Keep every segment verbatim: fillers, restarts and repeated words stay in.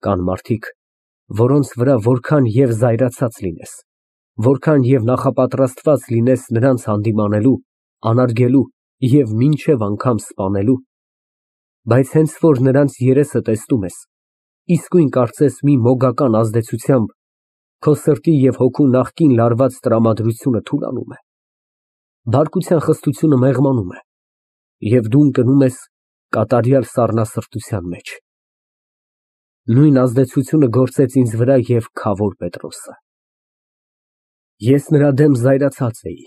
Կան մարդիկ, որոնց վրա որքան և զայրացած լինես, որքան և նախապատրաստված լինես նրանց հանդիմանելու, անարգելու և մինչև անգամ սպանելու, բայց հենց որ նրանց երեսը տեսնում ես, իսկույն կարծես մի մոգական ազդեցությամբ քո սրտի և հոգու նախկին լարված տրամադրությունը թուլանում է, բարկության խստությունը մեղմանում է, և դու ընկնում ես կատարյալ սառնասրտության մեջ։ Նույն ազդեցությունը գործեց ինձ վրա և Քավոր Պետրոսը։ Ես նրա դեմ զայրացած էի,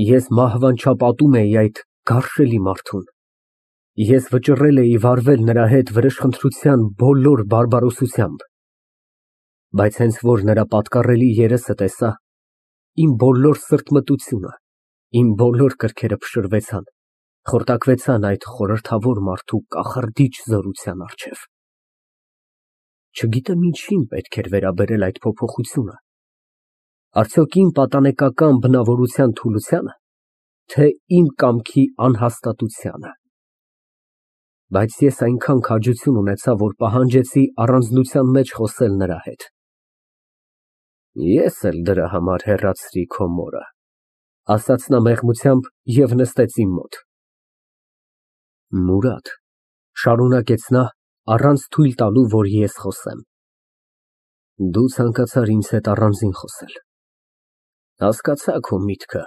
ես մահվանչապատում էի այդ գարշելի մարդուն, ես վճռել էի վարվել նրա հետ վրեժխնդրության բոլոր բարբարոսությամբ, բայց հենց որ նրա պատկառելի երեսը տեսա, իմ բոլոր սրտմտությունը, իմ բոլոր կրքերը փշրվեցան, խորտակվեցան այդ խորհրդավոր մարդու կախարդիչ զորության առջև։ Չգիտեմ ինչին պետք էր վերաբերել այդ փոփոխությունը, արդյոք իմ պատանեկական բնավորության թուլությա՞նը, թե իմ կամքի անհաստատությանը, բայց ես այնքան քաջություն ունեցա, որ պահանջեցի առանձնության մեջ խոսել նրա հետ։ Ես էլ դրա համար հեռացրի քո մորը, ասաց նա մեղմությամբ և նստեց իմ մոտ։ Մուրադ, շարունակեց նա, առանց թույլ տալու, որ ես խոսեմ, դու ցանկացար ինձ հետ առանձին խոսել, հասկացա քո միտքը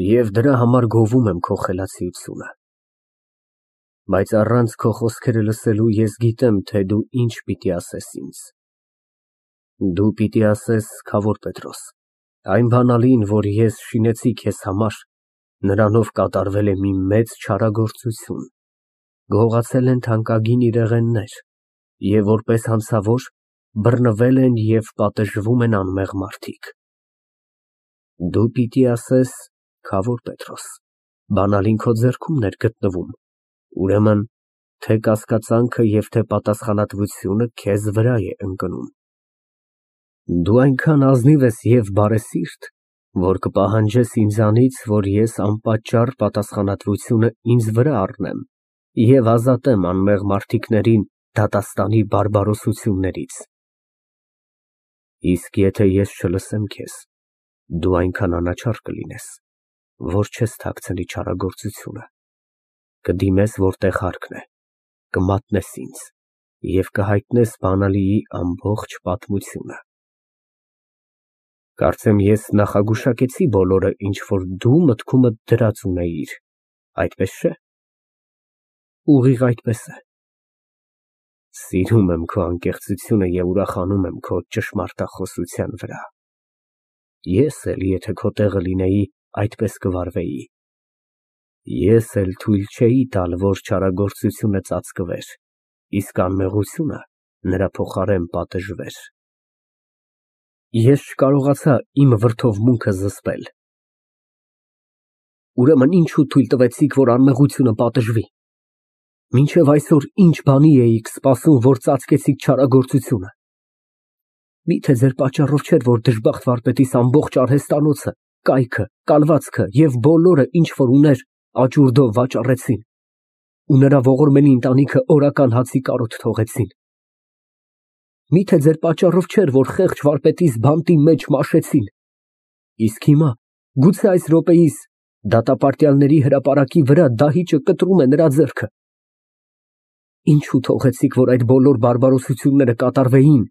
և դրա համար գովում եմ քո խելացիությունը, բայց առանց քո խոսքերը լսելու ես գիտեմ, թե դու ինչ պիտի ասես ինձ։ Դու պիտի ասես, Քավոր Պետրոս, այն բանալին, որ ես շինեցի քեզ համար, նրանով կատարվել է մի մեծ չարագործություն, գողացել են թանկագին իրեղեններ և որպես հանցավոր բռնվել են և պատժվում են անմեղ մարդիկ։ Դու պիտի ասես, Քավոր Պետրոս, բանալին քո ձեռքումն էր գտնվում, ուրեմն թե կասկածանքը և թե պատասխանատվությունը քեզ վրա է ընկնում։ Դու այնքան ազնիվ ես և բարեսիրտ, որ կպահանջես ինձանից, որ ես անպատճառ պատասխանատվությունը ինձ վրա առնեմ և ազատեմ անմեղ մարդիկներին դատաստանի բարբարոսություններից։ Իսկ եթե ես չլսեմ քեզ, դու այնքան անաչառ կլինես, որ չես թաքցնի չարագործությունը, կդիմես որտեղ հարկն է, կմատնես ինձ և կհայտնես բանալիի ամբողջ պատմությունը։ Կարծեմ ես նախագուշակեցի բոլորը, ինչ որ դու մտքումդ դրած ունեիր, այդպես չէ՞։ Ուղիղ այդպես է։ Սիրում եմ քո անկեղծությունը և ուրախանում եմ քո ճշմարտախոսության վրա։ Ես էլ, եթե քո տեղը լինեի, այդպես կվարվեի։ Ես էլ թույլ չէի տալ, որ չարագործությունը ծածկվեր, իսկ անմեղությունը նրա փոխարեն պատժվեր։ Ես չկարողացա իմ վրդովմունքը զսպել։ Ուրեմն ինչո՞ւ թույլ տվեցիք, որ անմեղությունը պատժվի։ Մինչև այսօր ինչ բանի էիք սպասում, որ ծածկեցիք չարագործությունը։ Միթե ձեր պատճառով չէր, որ դժբախտ վարպետիս ամբողջ արհեստանոցը, կայքը, կալվածքը և բոլորը, ինչ որ ուներ, աճուրդով վաճառեցին, ու նրա ողորմելի ընտանիքը օրական հացի կարոտ թողեցին։ Միթե ձեր պատճառով չէր, որ խեղճ վարպետիս բանտի մեջ մաշեցին, իսկ հիմա, գուցե այս րոպեիս, դատապարտյալների հրապարակի վրա դահիճը կտրում է նրա ձեռքը։ Ինչո՞ւ թողեցիք, որ այդ բոլոր բարբարոսությունները կատարվեին,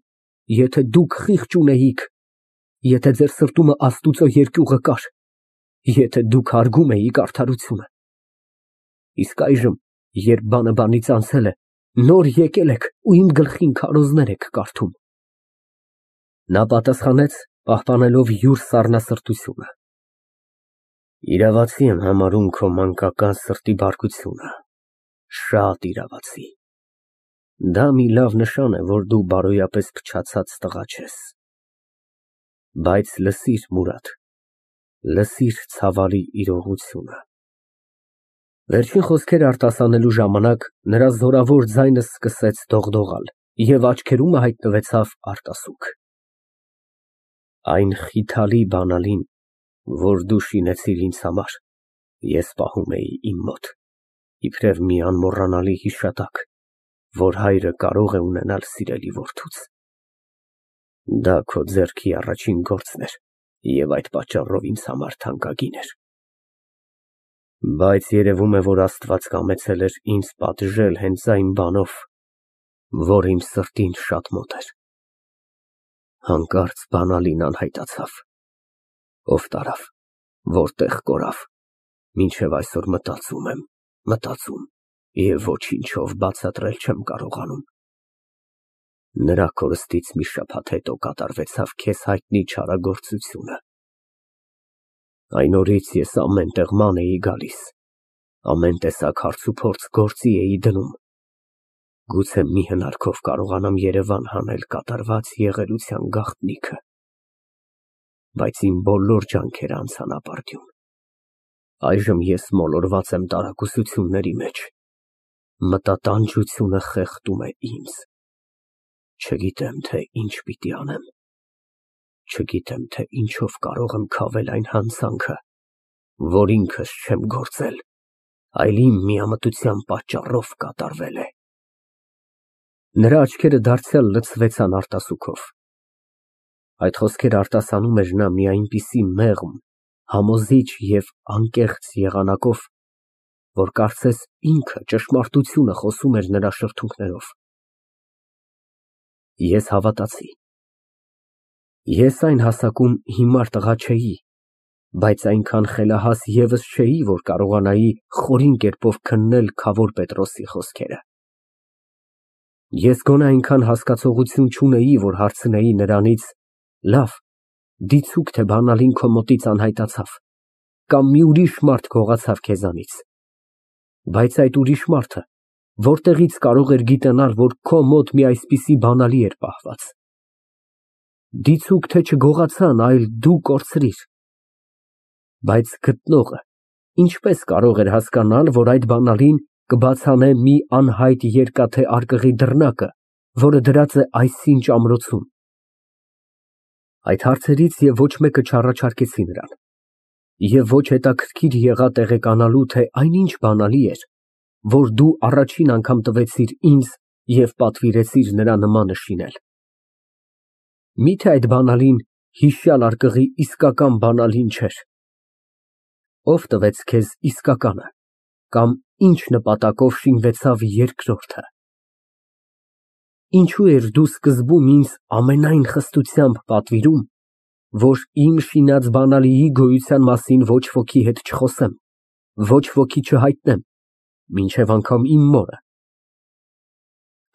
եթե դուք խիղճ ունեիք, եթե ձեր սրտումը Աստուծո երկյուղը կար, եթե դուք հարգում էիք արդարությունը։ Իսկ այժմ, երբ բանը բանից անցել է, նոր եկել եք ու իմ գլխին քարոզներ եք կարդում։ Նա պատասխանեց, պահպանելով յուր սառնասրտությունը. Իրավացի եմ համարում քո մանկական սրտի բարկությունը, շատ իրավացի։ Դա մի լավ նշան է, որ դու բարոյապես փչացած տղա չես։ Բայց լսիր, Մուրադ, լսիր ցավալի իրողությունը։ Վերջին խոսքերը արտասանելու ժամանակ նրա զորավոր ձայնը սկսեց դողդողալ և աչքերումը հայտնվեցավ արտասուք։ Այն խիթալի բանալին, որ դու շինեցիր ինձ համար, ես պահում էի իմ մոտ, իբրև մի անմոռանալի հիշատակ, որ հայրը կարող է ունենալ սիրելի որդուց։ Դա քո ձեռքի առաջին գործն էր և այդ պատճառով ինձ համար թանկագին էր։ Բայց երևում է, որ Աստված կամեցել էր ինձ պատժել հենց այն բանով, որ իմ սրտին շատ մոտ էր։ Հանկարծ բանալին անհայտացավ։ Ով տարավ, որտեղ կորավ, մինչև այսօր մտածում եմ, մտածում և ոչինչով բացատրել չեմ կարողանում։ Նրա կորստից մի շաբաթ հետո կատարվեցավ քեզ հայտնի չարագործությունը։ Այն օրից ես ամեն տեղ ման էի գալիս, ամեն տեսակ հարցուփորձ գործի էի դնում, գուցե մի հնարքով կարողանամ երևան հանել կատարված եղելության գաղտնիքը, բայց իմ բոլոր ջանքերը անցան ապարդյուն։ Այժմ ես մոլորված եմ տարակուսությունների մեջ, մտատանջությունը խեղդում է ինձ, չգիտեմ, թե ինչ պիտի անեմ, չգիտեմ, թե ինչով կարող եմ քավել այն հանցանքը, որ ինքս չեմ գործել, այլ իմ միամտության պատճառով կատարվել է։ Նրա աչքերը դարձյալ լցվեցան արտասուքով։ Այդ խոսքերը արտասանում էր նա մի այնպիսի մեղմ, համոզիչ և անկեղծ եղանակով, որ կարծես ինքը ճշմարտությունը խոսում էր նրա շրթունքներով։ Ես հավատացի։ Ես այն հասակում հիմար տղա չէի, բայց այնքան խելահաս ևս չէի, որ կարողանայի խորին կերպով քննել քավոր Պետրոսի խոսքերը։ Ես գոնե այնքան հասկացողություն չունեի, որ հարցնեի նրանից. «Լավ, դիցուք, թե բանալին քո մոտից անհայտացավ, կամ մի ուրիշ մարդ գողացավ քեզանից, բայց այդ ուրիշ մարդը որտեղի՞ց կարող էր գիտենալ, որ քո մոտ մի այսպիսի բանալի էր պահված։ Դիցուք, թե չգողացան, այլ դու կորցրիր»։ Բայց գտնողը ինչպես կարող էր հասկանալ, որ այդ բանալին կբացանե մի անհայտ երկաթե արկղի դռնակը, որը դրած է այսինչ ամրոցում։ Այդ հարցերից և ոչ մեկը չառաջարկեցի նրան, և ոչ հետաքրքիր եղա տեղեկանալու, թե այնինչ բանալի էր, որ դու առաջին անգամ տվեցիր ինձ և պատվիրեցիր նրա նմանը շինել։ Մի՞թե այդ բանալին հիշյալ արկղի իսկական բանալին չէր։ Ո՞վ տվեց քեզ իսկականը, կամ ինչ նպատակով շինվեցավ երկրորդը։ Ինչո՞ւ էիր դու սկզբում ինձ ամենայն խստությամբ պատվիրում, որ իմ շինած բանալիի գոյության մասին ոչ ոքի հետ չխոսեմ, ոչ ոքի չհայտնեմ, մինչև անգամ իմ մորը։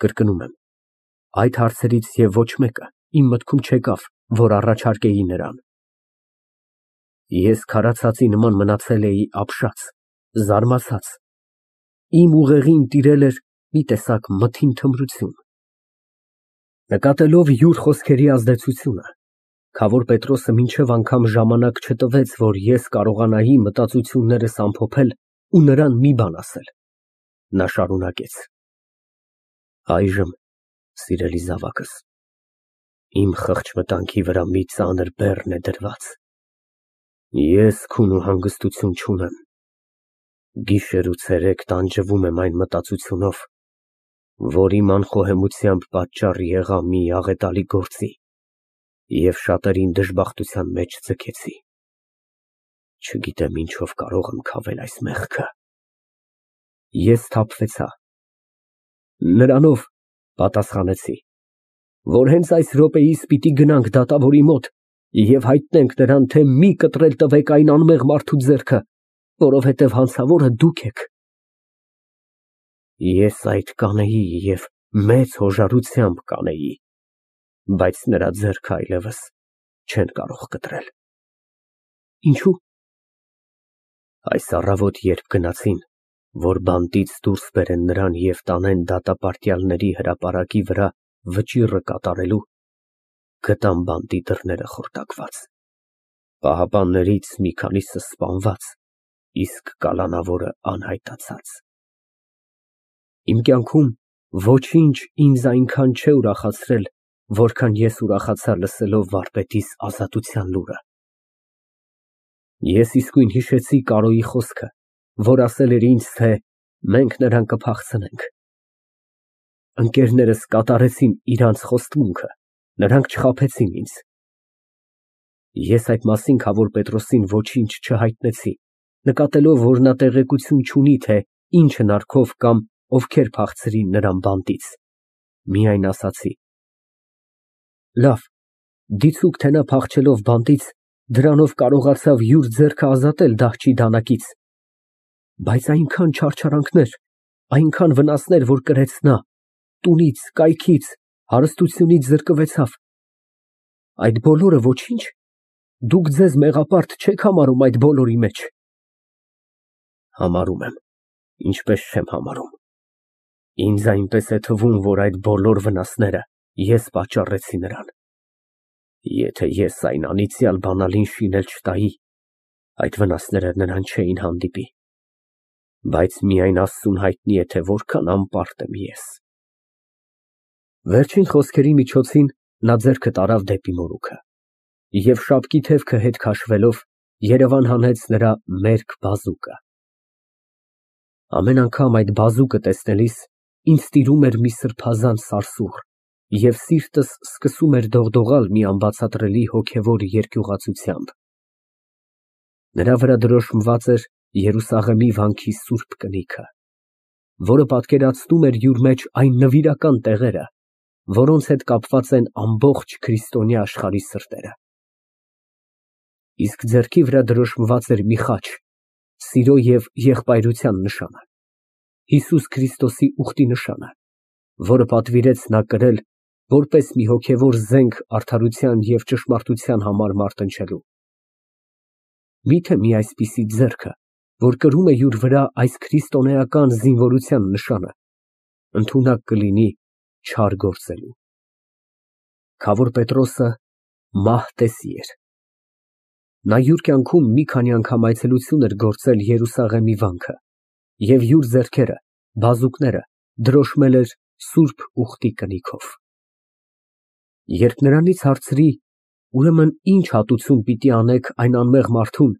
Կրկնում եմ, այդ հարցերից և ոչ մեկը իմ մտքում չեկավ, որ առաջարկեի նրան։ Ես քարացածի նման մնացել էի ապշած, զարմացած, իմ ուղեղին տիրել էր մի տեսակ մթին թմրություն։ Նկատելով յուր խոսքերի ազդեցությունը, քավոր Պետրոսը մինչև անգամ ժամանակ չտվեց, որ ես կարողանայի մտածություններս ամփոփել ու նրան մի բան ասել։ Նա շարունակեց. Այժմ, սիրելի զավակս, իմ խղճմտանքի վրա մի ծանր բեռն է դրված։ Ես քուն ու հանգստություն չունեմ, գիշեր ու ցերեկ տանջվում եմ այն մտածությունով, որ իմ անխոհեմությամբ պատճառ եղա մի աղետալի գործի և շատերին դժբախտության մեջ ձգեցի։ Չգիտեմ ինչով կարող եմ քավել այս մեղքը։ Ես սթափվեցա։ Նրանով, պատասխանեցի, որ հենց այս րոպեիս պիտի գնանք դատավորի մոտ և հայտնենք նրան, թե մի կտրել տվեք այն անմեղ մարդու ձեռքը, որովհետև հանցավորը դուք եք։ Ես այդ կանեի և մեծ հոժարությամբ կանեի, բայց նրա ձեռքը այլևս չեն կարող կտրել։ Ինչո՞ւ։ Այս առավոտ, երբ գնացին, որ բանտից դուրս բերեն նրան և տանեն դատապարտյալների հրապարակի վրա վճիռը կատարելու, գտան բանտի դռները խորտակված, պահապաններից մի քանիսը սպանված, իսկ կալանավորը անհայտացած։ Իմ կյանքում ոչինչ ինձ այնքան չէ ուրախացրել, որքան ես ուրախացա լսելով վարպետիս ազատության լուրը։ Ես իսկույն հիշեցի Կարոյի խոսքը, որ ասել էր ինձ, թե մենք նրան կփախցնենք։ Ընկերներս կատարեցին իրանց խոստմունքը, նրանք չխաբեցին ինձ։ Ես այդ մասին Քավոր Պետրոսին ոչինչ չհայտնեցի, նկատելով, որ նա տեղեկություն չունի, թե ինչ հնարքով կամ ովքեր փախցրին նրան բանտից, միայն ասացի. «Լավ, դիցուք, թե նա փախչելով բանտից, դրանով կարողացավ յուր ձեռքը ազատել դահչի դանակից, բայց այնքան չարչարանքներ, այնքան վնասներ, որ կրեց նա, տունից, կայքից, հարստությունից զրկվեցավ, այդ բոլորը ոչի՞նչ, դուք ձեզ մեղապարտ չեք համարում այդ բոլորի մեջ»։ Համարում եմ, ինչպես չեմ համարում, ինձ այնպես է թվում, որ այդ բոլոր վնասները ես պատճառեցի նրան։ Եթե ես այն անիծյալ բանալին շինել չտայի, այդ վնասները նրան չէին հանդիպի, բայց միայն Աստծուն հայտնի է, թե որքան անպարտ եմ ես։ Վերջին խոսքերի միջոցին նա ձեռքը տարավ դեպի մորուքը և շապկի թևքը հետ քաշվելով երևան հանեց նրա մերկ բազուկը։ Ամեն անգամ այդ բազուկը տեսնելիս ինձ տիրում էր մի սրբազան սարսուռ և սիրտս սկսում էր դողդողալ մի անբացատրելի հոգևոր երկյուղացությամբ։ Նրա վրա դրոշմված էր Երուսաղեմի վանքի սուրբ կնիքը, որը պատկերացնում էր յուր մեջ այն նվիրական տեղերը, որոնց հետ կապված են ամբողջ քրիստոնյա աշխարհի սրտերը։ Իսկ ձեռքի վրա դրոշմված էր մի խաչ, սիրո և եղբայրության նշանը, Հիսուս Քրիստոսի ուխտի նշանը, որը պատվիրեց նա կրել որպես մի հոգևոր զենք արդարության և ճշմարտության համար մարտնչելու։ Միթե մի այսպիսի ձեռքը, որ կրում է յուր վրա այս քրիստոնեական զինվորության նշանը, ընդունակ կլինի չար գործելու։ Քավոր Պետրոսը մահ տեսի էր։ Նա յուր կյանքում մի քանի անգամ այցելություն էր գործել Երուսաղեմի վանքը և յուր ձեռքերը, բազուկները դրոշմել էր սուրբ ուխտի կնիքով։ Երբ նրանից հարցրի, ուրեմն ի՞նչ հատուցում պիտի անեք այն անմեղ մարդուն,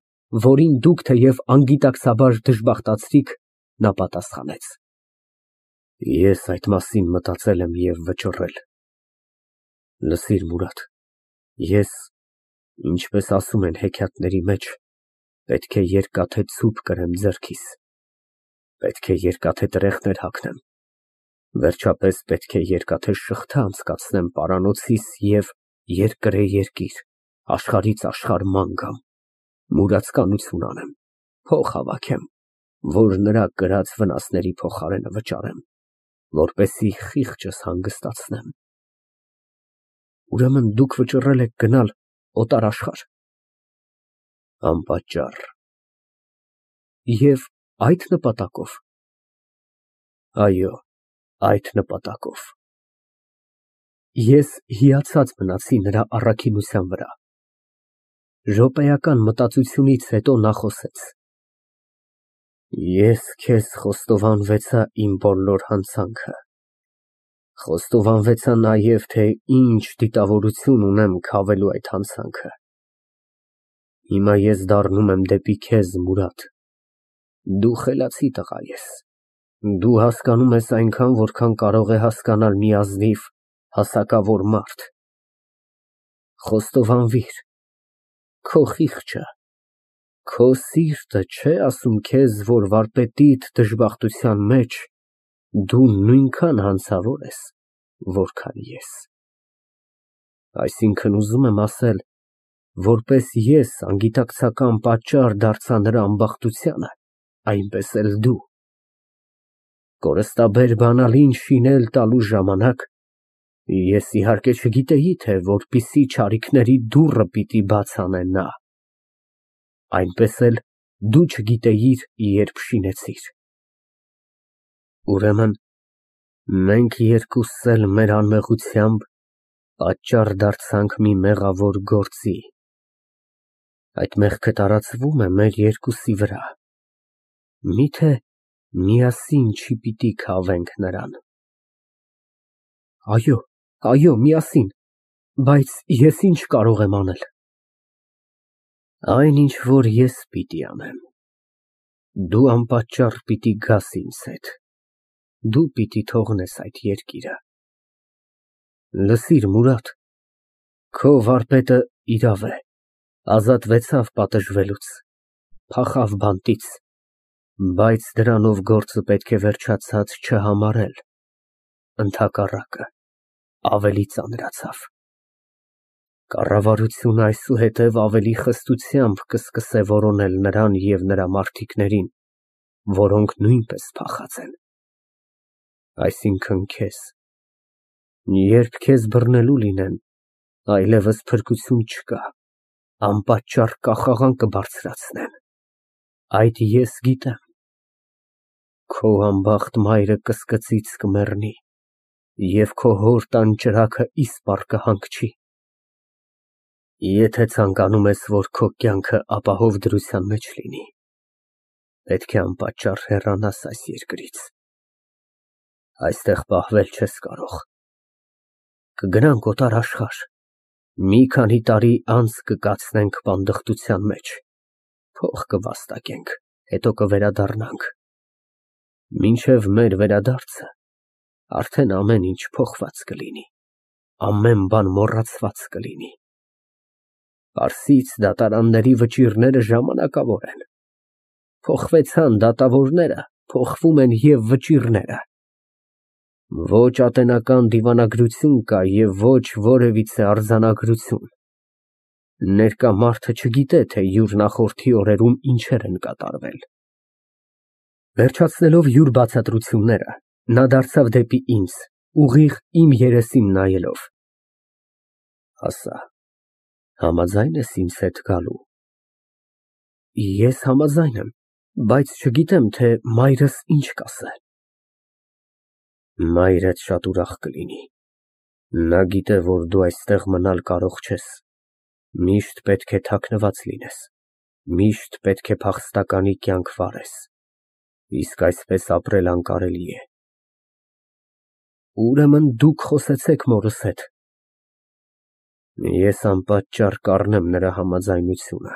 որին դուք թեև անգիտակցաբար դժբախտացրիք, նա պատասխանեց. Ես այդ մասին մտածել եմ և վճռել։ Լսիր, Մուրադ, ես, ինչպես ասում են հեքիաթների մեջ, պետք է երկաթե ցուպ կրեմ ձեռքիս, պետք է երկաթե տրեխներ հագնեմ, վերջապես պետք է երկաթե շղթա անցկացնեմ պարանոցիս և երկրե երկիր, աշխարհից աշխարհ ման գամ, մուրացկանություն անեմ, փող հավաքեմ, որ նրա կրած վնասների փոխարենը վճարեմ, որպեսզի խիղճս հանգստացնեմ։ Ուրեմն դուք վճռել եք գնալ օտար աշխարհ։ Անպատճառ։ Եվ այդ նպատակով։ Այո, այդ նպատակով։ Ես հիացած մնացի նրա առաքինության վրա։ Րոպեական մտածությունից հետո նա խոսեց. Ես քեզ խոստովանվեցա իմ բոլոր հանցանքը, խոստովանվեցա նաև, թե ինչ դիտավորություն ունեմ քավելու այդ հանցանքը։ Հիմա ես դառնում եմ դեպի քեզ, Մուրադ, դու խելացի տղա ես, դու հասկանում ես այնքան, որքան կարող է հասկանալ մի ազնիվ, հասակավոր մարդ։ Խոստովանվիր, քո խիղճը, քո սիրտը չէ՞ ասում քեզ, որ վարպետիդ դժբախտության մեջ դու նույնքան հանցավոր ես, որքան ես։ Այսինքն, ուզում եմ ասել, որպես ես անգիտակցական պատճառ դարձա նրա ամբախտությանը, այնպես էլ դու։ Կորստաբեր բանալին շինել տալու ժամանակ ես իհարկե չգիտեի, թե որպիսի չարիքների դուռը պիտի բաց անե նա, այնպես էլ դու չգիտեիր, երբ շինեցիր։ Ուրեմն մենք երկուսս էլ մեր անմեղությամբ պատճառ դարձանք մի մեղավոր գործի, այդ մեղքը տարածվում է մեր երկուսի վրա, մի՞թե միասին չի պիտի քավենք նրան։ Այո, այո, միասին, բայց ես ի՞նչ կարող եմ անել։ Այն, ինչ որ ես պիտի անեմ, դու անպատճառ պիտի գաս ինձ հետ, դու պիտի թողնես այդ երկիրը։ Լսիր, Մուրադ, քո վարպետը իրավ է, ազատվեցավ պատժվելուց, փախավ բանտից, բայց դրանով գործը պետք է վերջացած չհամարել, ընդհակառակը, ավելի ծանրացավ։ Կառավարությունը այսուհետև ավելի խստությամբ կսկսե որոնել նրան և նրա մարդիկներին, որոնք նույնպես փախած են։ Այսինքն քեզ, երբ քեզ բռնելու լինեն, այլևս փրկություն չկա, անպատճառ կախաղան կբարձրացնեն, այդ ես գիտեմ։ Քո անբախտ մայրը կսկծից կմեռնի և քո հոր տան ճրագը իսպառ կհանգչի։ Եթե ցանկանում ես, որ քո կյանքը ապահով դրության մեջ լինի, պետք է անպատճառ հեռանաս այս երկրից, այստեղ պահվել չես կարող։ Կգնանք օտար աշխարհ, մի քանի տարի անց կկացնենք պանդխտության մեջ, փող կվաստակենք, հետո կվերադառնանք։ Մինչև մեր վերադարձը արդեն ամեն ինչ փոխված կլինի, ամեն բան մոռացված կլինի։ Պարսից դատարանների վճիռները ժամանակավոր են, փոխվեցան դատավորները, փոխվում են և վճիռները։ Ոչ ատենական դիվանագրություն կա և ոչ որևիցե արձանագրություն։ Ներկա մարդը չգիտե, թե յուր նախորդի օրերում ինչեր են կատարվել։ Վերջացնելով յուր բացատրությունները, նա դարձավ դեպի ինձ, ուղիղ իմ երեսին նայելով։ Ասա, համաձա՞յն ես ինձ հետ գալու։ Ես համաձայն եմ, բայց չգիտեմ, թե մայրս ինչ կասե։ Մայրդ շատ ուրախ կլինի, նա գիտե, որ դու այստեղ մնալ կարող չես, միշտ պետք է թաքնված լինես, միշտ պետք է փախստականի կյանք վարես, իսկ այսպես ապրել անկարելի է։ Ուրեմն դուք խոսեցեք մորս հետ։ Ես անպատճառ կառնեմ նրա համաձայնությունը։